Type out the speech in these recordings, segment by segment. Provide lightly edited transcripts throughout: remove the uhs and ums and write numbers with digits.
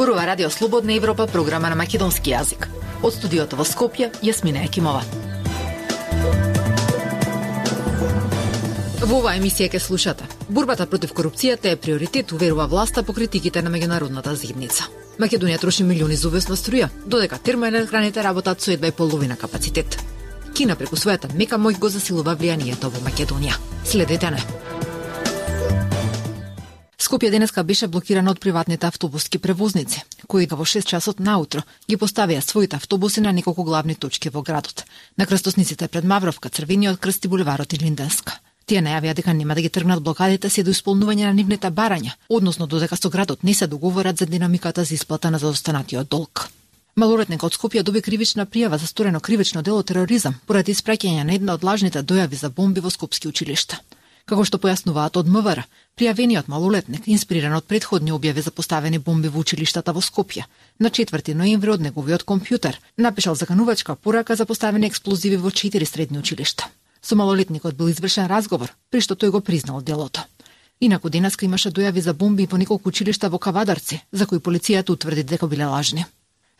Зборува Радио Слободна Европа, програма на македонски јазик. Од студиото во Скопје, Јасмина Екимова. Во оваа емисија ќе слушате. Борбата против корупцијата е приоритет, уверува власта по критиките на меѓународната заедница. Македонија троши милиони за увесна струја, додека термоелектраните работат со едва и половина капацитет. Кина преку својата мека моќ го засилува влијанието во Македонија. Следете не. Скопје денеска беше блокирана од приватните автобуски превозници, кои во 6 часот наутро ги поставија своите автобуси на неколку главни точки во градот. На крстосниците пред Мавровка, Црвениот крст и булеварот и Линденска. Тие најавија дека нема да ги тргнат блокадите се до исполнување на нивните барања, односно додека со градот не се договорат за динамиката за исплата на заостанатиот долг. Малолетник од Скопје доби кривична пријава за сторено кривично дело тероризам поради испраќање на една од лажните дојави за бомби во скопски училишта. Како што појаснуваат од МВР, пријавениот малолетник, инспириран од предходни објави за поставени бомби во училиштата во Скопје, на 4 ноември од неговиот компјутер напишал заканувачка порака за поставени експлозиви во 4 средни училишта. Со малолетникот бил извршен разговор, при што тој го признал делото. Инаку денеска имаше дојави за бомби во неколку училишта во Кавадарци, за кои полицијата утврди дека биле лажни.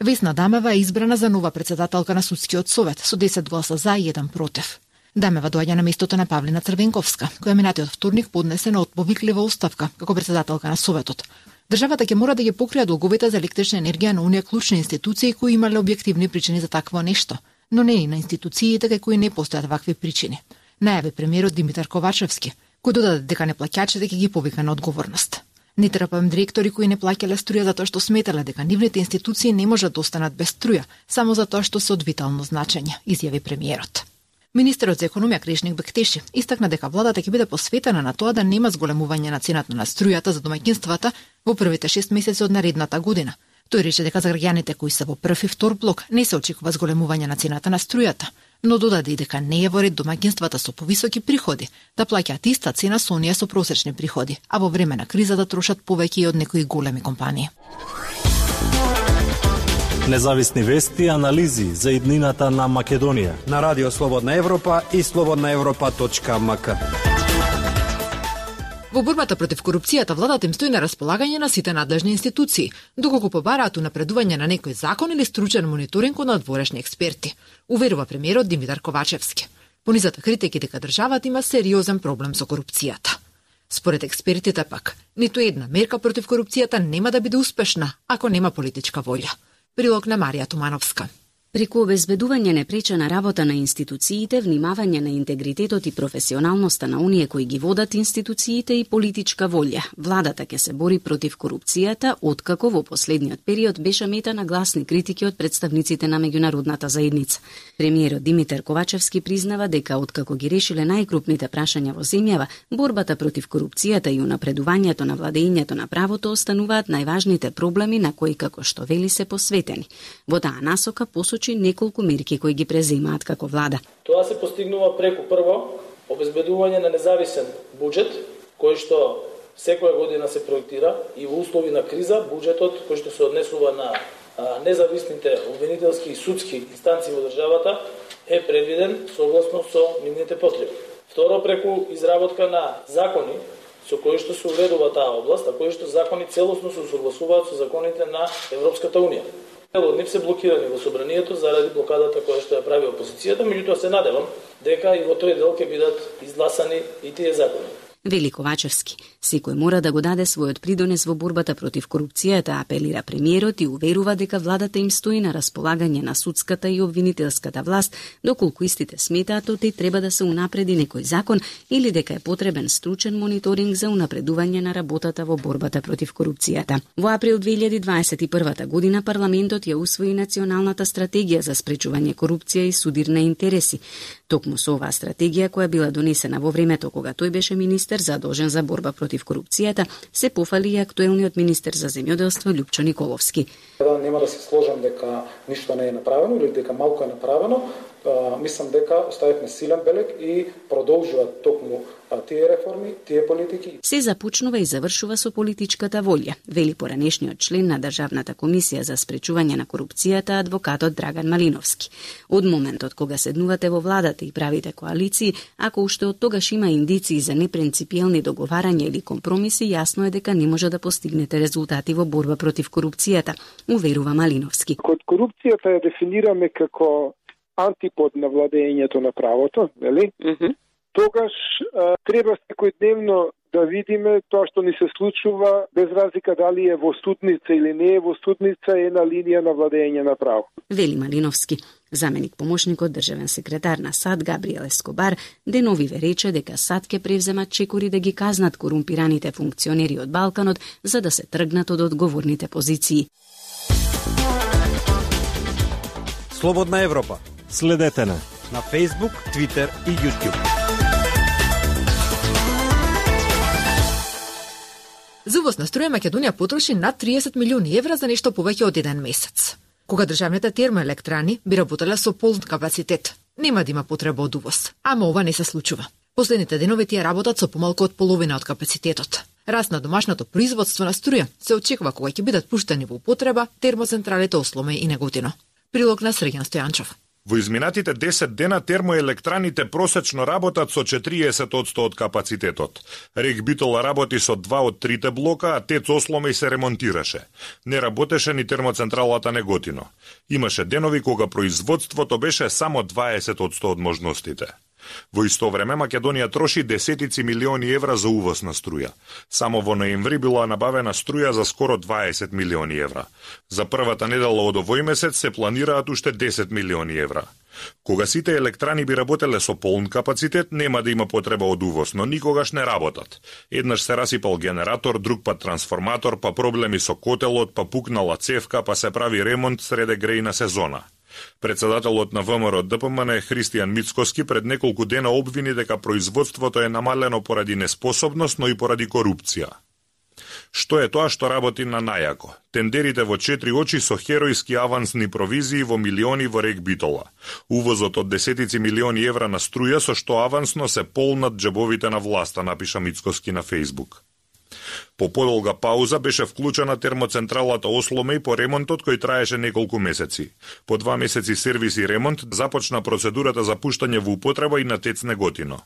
Весна Дамева е избрана за нова председателка на судскиот совет со 10 гласа за и 1 против. Дамева доаѓа на местото на Павлина Црвенковска, која минатиот вторник поднесе на отповиклива оставка како председателка на советот. Државата ќе мора да ги покрија долговите за електрична енергија на оние клучни институции кои имале објективни причини за такво нешто, но не и на институциите кај кои не постојат вакви причини. Најави премиерот Димитар Ковачевски, кој додаде дека неплаќачите ќе ги повика на одговорност. Не трпам директори кои не плаќале струја затоа што сметале дека нивните институции не можат да останат без струја, само затоа што се од витално значење, изјави премиерот. Министерот за економија Кришник Бектеши истакна дека владата ќе биде посветена на тоа да нема зголемување на цената на струјата за домаќинствата во првите 6 месеци од наредната година. Тој рече дека за граѓаните кои се во прв и втор блок не се очекува зголемување на цената на струјата, но додаде и дека не е во ред домаќинствата со повисоки приходи да плаќаат иста цена со оние со просечни приходи, а во време на криза да трошат повеќе и од некои големи компании. Независни вести и анализи за иднината на Македонија на Радио Слободна Европа и slobodnaevropa.mk. Во борбата против корупцијата владата им стои на располагање на сите надлежни институции, доколку побараат унапредување на некој закон или стручен мониторинг од надворешни експерти, уверува премиерот Димитар Ковачевски. Понизата критики дека државата има сериозен проблем со корупцијата. Според експертите пак, ниту една мерка против корупцијата нема да биде успешна ако нема политичка волја. Прилог на Марија Тумановска. Преку обезбедување непречена работа на институциите, внимавање на интегритетот и професионалноста на оние кои ги водат институциите и политичка волја, владата ќе се бори против корупцијата, откако во последниот период беше мета на гласни критики од представниците на меѓународната заедница. Премиерот Димитар Ковачевски признава дека откако ги решиле најкрупните прашања во земјава, борбата против корупцијата и унапредувањето на владењето на правото остануваат најважните проблеми на кои, како што вели, се посветени. Во таа насока неколку мерки кои ги преземаат како влада. Тоа се постигнува преку прво обезбедување на независен буџет кој што секоја година се проектира и во услови на криза буџетот кој што се однесува на независните обвинителски и судски инстанции во државата е предвиден согласно со нивните потреби. Второ, преку изработка на закони со кои што се уредува таа област, а кои што закони целосно се согласуваат со законите на Европската унија. Од нив се блокирани во собранието заради блокадата која што ја прави опозицијата, меѓутоа се надевам дека и во тој дел ќе бидат изгласани и тие закони. Вели Ковачевски, секој мора да го даде својот придонес во борбата против корупцијата, апелира премиерот и уверува дека владата им стои на располагање на судската и обвинителската власт, доколку истите сметаат оти треба да се унапреди некој закон или дека е потребен стручен мониторинг за унапредување на работата во борбата против корупцијата. Во април 2021 година парламентот ја усвои националната стратегија за спречување корупција и судир на интереси. Токму со оваа стратегија која била донесена во времето кога тој беше министер задолжен за борба против корупцијата, се пофали и актуелниот министер за земјоделство Лјупчо Николовски. Нема да се сложам дека ништо не е направено или дека малку е направено. Мислам дека оставивме силен белег и продолжуваат токму тие реформи, тие политики. Се започнува и завршува со политичката волја, вели поранешниот член на Државната комисија за спречување на корупцијата адвокатот Драган Малиновски. Од моментот кога седнувате во владата и правите коалиции, ако уште од тогаш има индиции за непринципиелни договарања или компромиси, јасно е дека не може да постигнете резултати во борба против корупцијата, уверува Малиновски. Код корупцијата ја дефинираме како антипод на владењето на правото, нели? Тогаш треба секојдневно да видиме тоа што ни се случува, без разлика дали е во студница или не е во студница, е на линија на владење на право. Вели Малиновски. Заменик помошникот државен секретар на САД Габриел Ескобар деновиве рече дека САД ќе превземат чекори да ги казнат корумпираните функционери од Балканот за да се тргнат од одговорните позиции. Слободна Европа. Следете на Facebook, Twitter и YouTube. За увоз на струја Македонија потроши над 30 милиони евра за нешто повеќе од еден месец. Кога државните термоелектрани би работеле со полн капацитет, нема да има потреба од увоз. Ама ова не се случува. Последните денови тие работат со помалку од половина од капацитетот. Раст на домашното производство на струја се очекува кога ќе бидат пуштени во употреба термоцентралите Осломе и Неготино. Прилог на Срđan Стојанчов. Во изминатите 10 дена термоелектраните просечно работат со 40% од капацитетот. РЕК Битола работи со 2 од 3 блока, а ТЕЦ Осломе се ремонтираше. Не работеше ни термоцентралата Неготино. Имаше денови кога производството беше само 20% од можностите. Во исто време Македонија троши десетици милиони евра за увоз на струја. Само во ноември била набавена струја за скоро 20 милиони евра. За првата недела од овој месец се планираат уште 10 милиони евра. Кога сите електрани би работеле со полн капацитет, нема да има потреба од увоз, но никогаш не работат. Еднаш се расипал генератор, друг пат трансформатор, па проблеми со котелот, па пукнала цевка, па се прави ремонт среде грејна сезона. Председателот на ВМРО ДПМН Христијан Мицкоски пред неколку дена обвини дека производството е намалено поради неспособност, но и поради корупција. Што е тоа што работи на најако? Тендерите во 4 очи со херојски авансни провизии во милиони во РЕК Битола. Увозот од десетици милиони евра на струја со што авансно се полнат џебовите на власта, напиша Мицкоски на Facebook. По подолга пауза беше вклучена термоцентралата Осломе и по ремонтот кој траеше неколку месеци. По 2 месеци сервис и ремонт започна процедурата за пуштање во употреба и на ТЕЦ Неготино.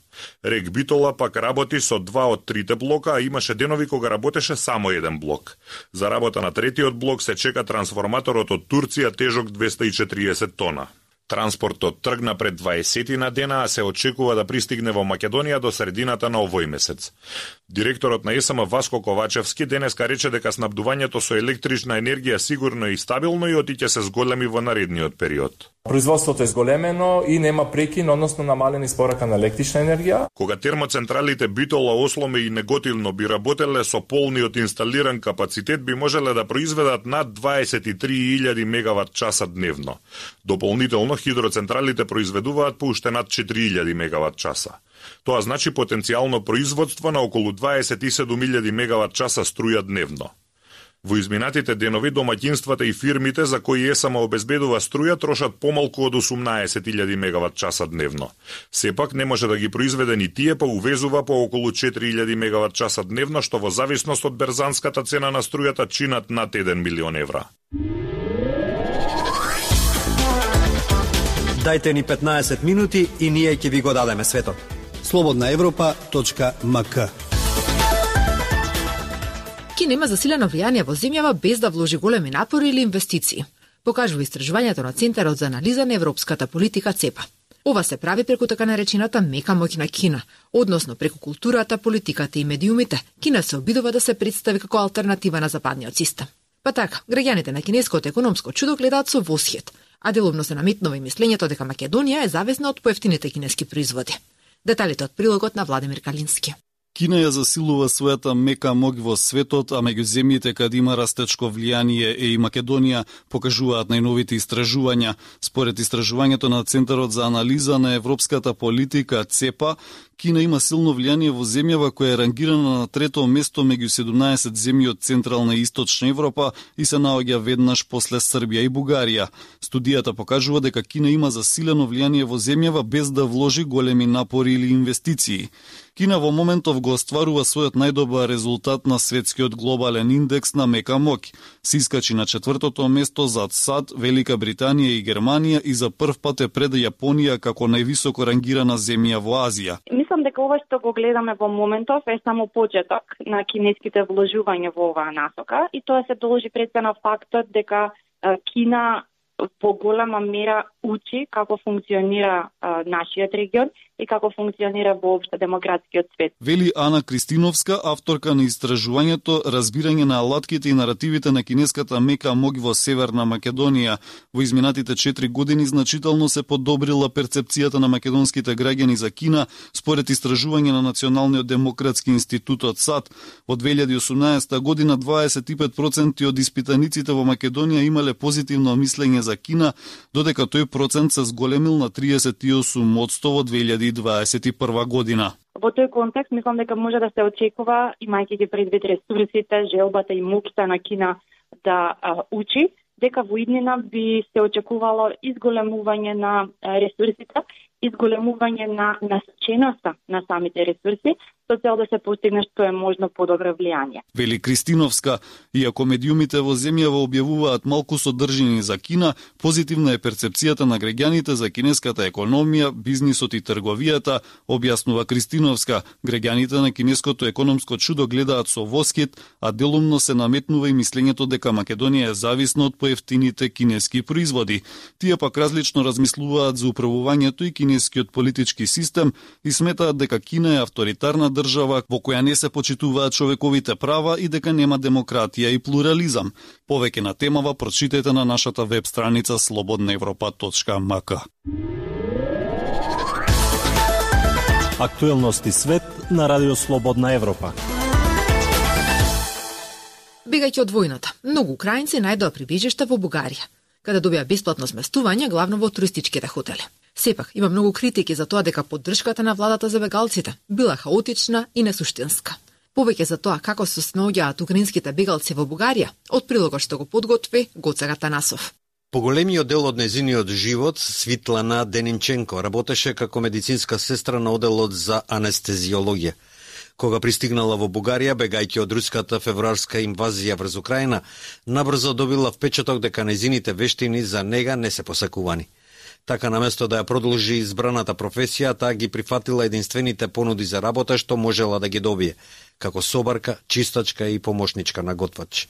РЕК Битола пак работи со 2 од 3 блока, а имаше денови кога работеше само еден блок. За работа на третиот блок се чека трансформаторот од Турција тежок 240 тона. Транспортот тргна пред 20 на дена, а се очекува да пристигне во Македонија до средината на овој месец. Директорот на ЕСМ Васко Ковачевски денеска рече дека снабдувањето со електрична енергија сигурно и стабилно и отиќе се зголеми во наредниот период. Производството е зголемено и нема прекин, односно намалена испорака на електрична енергија. Кога термоцентралите Битола, Осломе и Неготино би работеле со полниот инсталиран капацитет, би можеле да произведат над 23.000 мегават часа дневно. Дополнително хидроцентралите произведуваат по уште над 4.000 мегават часа. Тоа значи потенцијално производство на околу 27.000 мегават часа струја дневно. Во изминатите денови домаќинствата и фирмите за кои ЕСМ обезбедува струја трошат помалку од 18.000 мегават часа дневно. Сепак не може да ги произведе ни тие, па увезува по околу 4.000 мегават часа дневно, што во зависност од берзанската цена на струјата чинат над 1 милион евра. Дајте ни 15 минути и ние ќе ви го дадеме светот. slobodnaevropa.mk Кина има засилено влијание во земјава без да вложи големи напори или инвестиции, покажува истражувањето на Центарот за анализа на европската политика ЦЕПА. Ова се прави преку така наречената мека моќ на Кина, односно преку културата, политиката и медиумите. Кина се обидува да се представи како алтернатива на западниот систем. Па така, граѓаните на кинеското економско чудо гледаат со восхит, а делумно се наметнува и мислењето дека Македонија е зависна од поевтините кинески производи. Деталите од прилогот на Владимир Калински. Кина ја засилува својата мека моќ во светот, а меѓу земјите каде има растечко влијание е и Македонија, покажуваат најновите истражувања. Според истражувањето на Центарот за анализа на европската политика ЦЕПА, Кина има силно влијание во земјава која е рангирана на трето место меѓу 17 земји од Централна и Источна Европа и се наоѓа веднаш после Србија и Бугарија. Студијата покажува дека Кина има засилено влијание во земјава без да вложи големи напори или инвестиции. Кина во моментов го остварува својот најдобар резултат на светскиот глобален индекс на мека моќ. Се искачи на 4-то место зад САД, Велика Британија и Германија и за прв пат е пред Јапонија како највисоко рангирана земја во Азија. Мислам дека ова што го гледаме во моментов е само почеток на кинеските вложувања во оваа насока и тоа се должи пред се на фактот дека Кина во голема мера учи како функционира нашиот регион и како функционира воопшто демократскиот свет. Вели Ана Кристиновска, авторка на истражувањето Разбирање на алатките и наративите на кинеската мека моќ во Северна Македонија. Во изминатите 4 години значително се подобрила перцепцијата на македонските граѓани за Кина, според истражување на Националниот демократски институт од САД. Од 2018 година 25% од испитаниците во Македонија имале позитивно мислење за Кина, додека тој процент се зголемил на 38% во 2021 година. Во тој контекст мислам дека може да се очекува, имајќи ги предвид ресурсите, желбата и моќта на Кина да учи, дека во иднина би се очекувало изголемување на ресурсите, изголемување на насоченоста на самите ресурси, со цел да се постигне што е можно подобро влијание. Вели Кристиновска, иако медиумите во земјава објавуваат малку содржини за Кина, позитивна е перцепцијата на граѓаните за кинеската економија, бизнисот и трговијата, објаснува Кристиновска. Граѓаните на кинеското економско чудо гледаат со воскит, а делумно се наметнува и мислењето дека Македонија е зависна од поевтините кинески производи. Тие пак различно размислуваат за управувањето и кинескиот политички систем и сметаат дека Кина е авторитарна држава во која не се почитуваат човековите права и дека нема демократија и плурализам. Повеќе на темава прочитајте на нашата веб страница slobodnaevropa.mk. Актуелности свет на Радио Слободна Европа. Бегајќи од војната, многу украинци најдоа прибежишта во Бугарија, каде добија бесплатно сместување, главно во туристичките хотели. Сепак, има многу критики за тоа дека поддршката на владата за бегалците била хаотична и несуштинска. Повеќе за тоа како се снаоѓаат украинските бегалци во Бугарија, од прилогот што го подготви Гоце Ратанасов. Поголемиот дел од нејзиниот живот, Свитлана Денинченко, работеше како медицинска сестра на оделот за анестезиологија. Кога пристигнала во Бугарија, бегајќи од руската февруарска инвазија врз Украина, набрзо добила впечаток дека нејзините вештини за нега не се посакувани. Така, наместо да ја продолжи избраната професија, таа ги прифатила единствените понуди за работа што можела да ги добие, како собарка, чистачка и помошничка на готвач.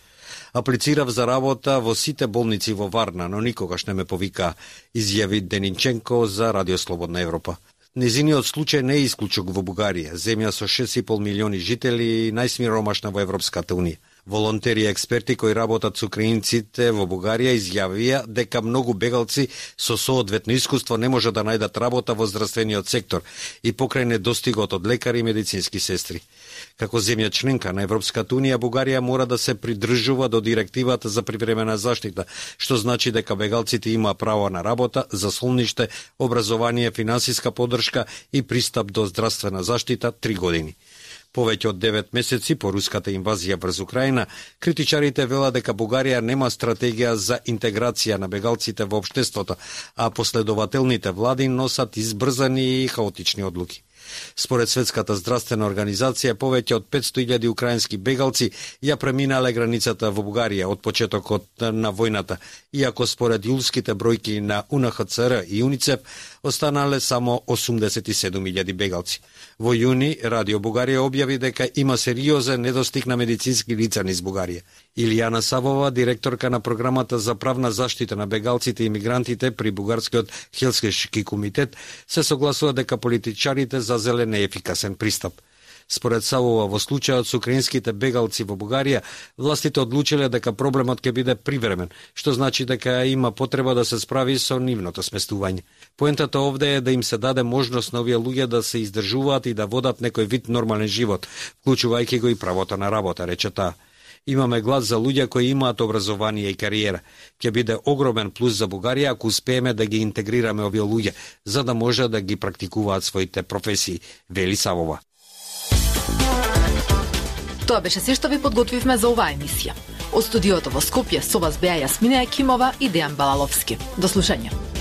Аплицирав за работа во сите болници во Варна, но никогаш не ме повика, изјави Денинченко за Радио Слободна Европа. Незиниот случај не е исклучок во Бугарија, земја со 6,5 милиони жители и најсмиромашна во Европската Унија. Волонтери и експерти кои работат со украинците во Бугарија изјавија дека многу бегалци со соодветно искуство не може да најдат работа во здравствениот сектор и покрај недостигот од лекари и медицински сестри. Како земја членка на Европската Унија, Бугарија мора да се придржува до директивата за привремена заштита, што значи дека бегалците има право на работа, заслониште, образование, финансиска поддршка и пристап до здравствена заштита 3 години. Повеќе од 9 месеци по руската инвазија врз Украина, критичарите велат дека Бугарија нема стратегија за интеграција на бегалците во општеството, а последователните влади носат избрзани и хаотични одлуки. Според Светската здравствена организација, повеќе од 500.000 украински бегалци ја преминале границата во Бугарија од почетокот на војната, иако според јулските бројки на УНХЦР и УНИЦЕФ останале само 87.000 бегалци. Во јуни, Радио Бугарија објави дека има сериозен недостиг на медицински лица низ Бугарија. Илијана Савова, директорка на програмата за правна заштита на бегалците и мигрантите при Бугарскиот Хелсиншки комитет, се согласува дека политичарите зазеле неефикасен пристап. Според Савова, во случајот со украинските бегалци во Бугарија, властите одлучиле дека проблемот ќе биде привремен, што значи дека има потреба да се справи со нивното сместување. Поентата овде е да им се даде можност на овие луѓе да се издржуваат и да водат некој вид нормален живот, вклучувајќи го и правото на работа, рече таа. Имаме глас за луѓе кои имаат образование и кариера. Ќе биде огромен плюс за Бугарија ако успееме да ги интегрираме овие луѓе, за да може да ги практикуваат своите професии, вели Савова. Тоа беше се што ви подготвивме за оваа емисија. Од студиото во Скопје со вас беа Јасмина Екимова и Дејан Балаловски. До слушање.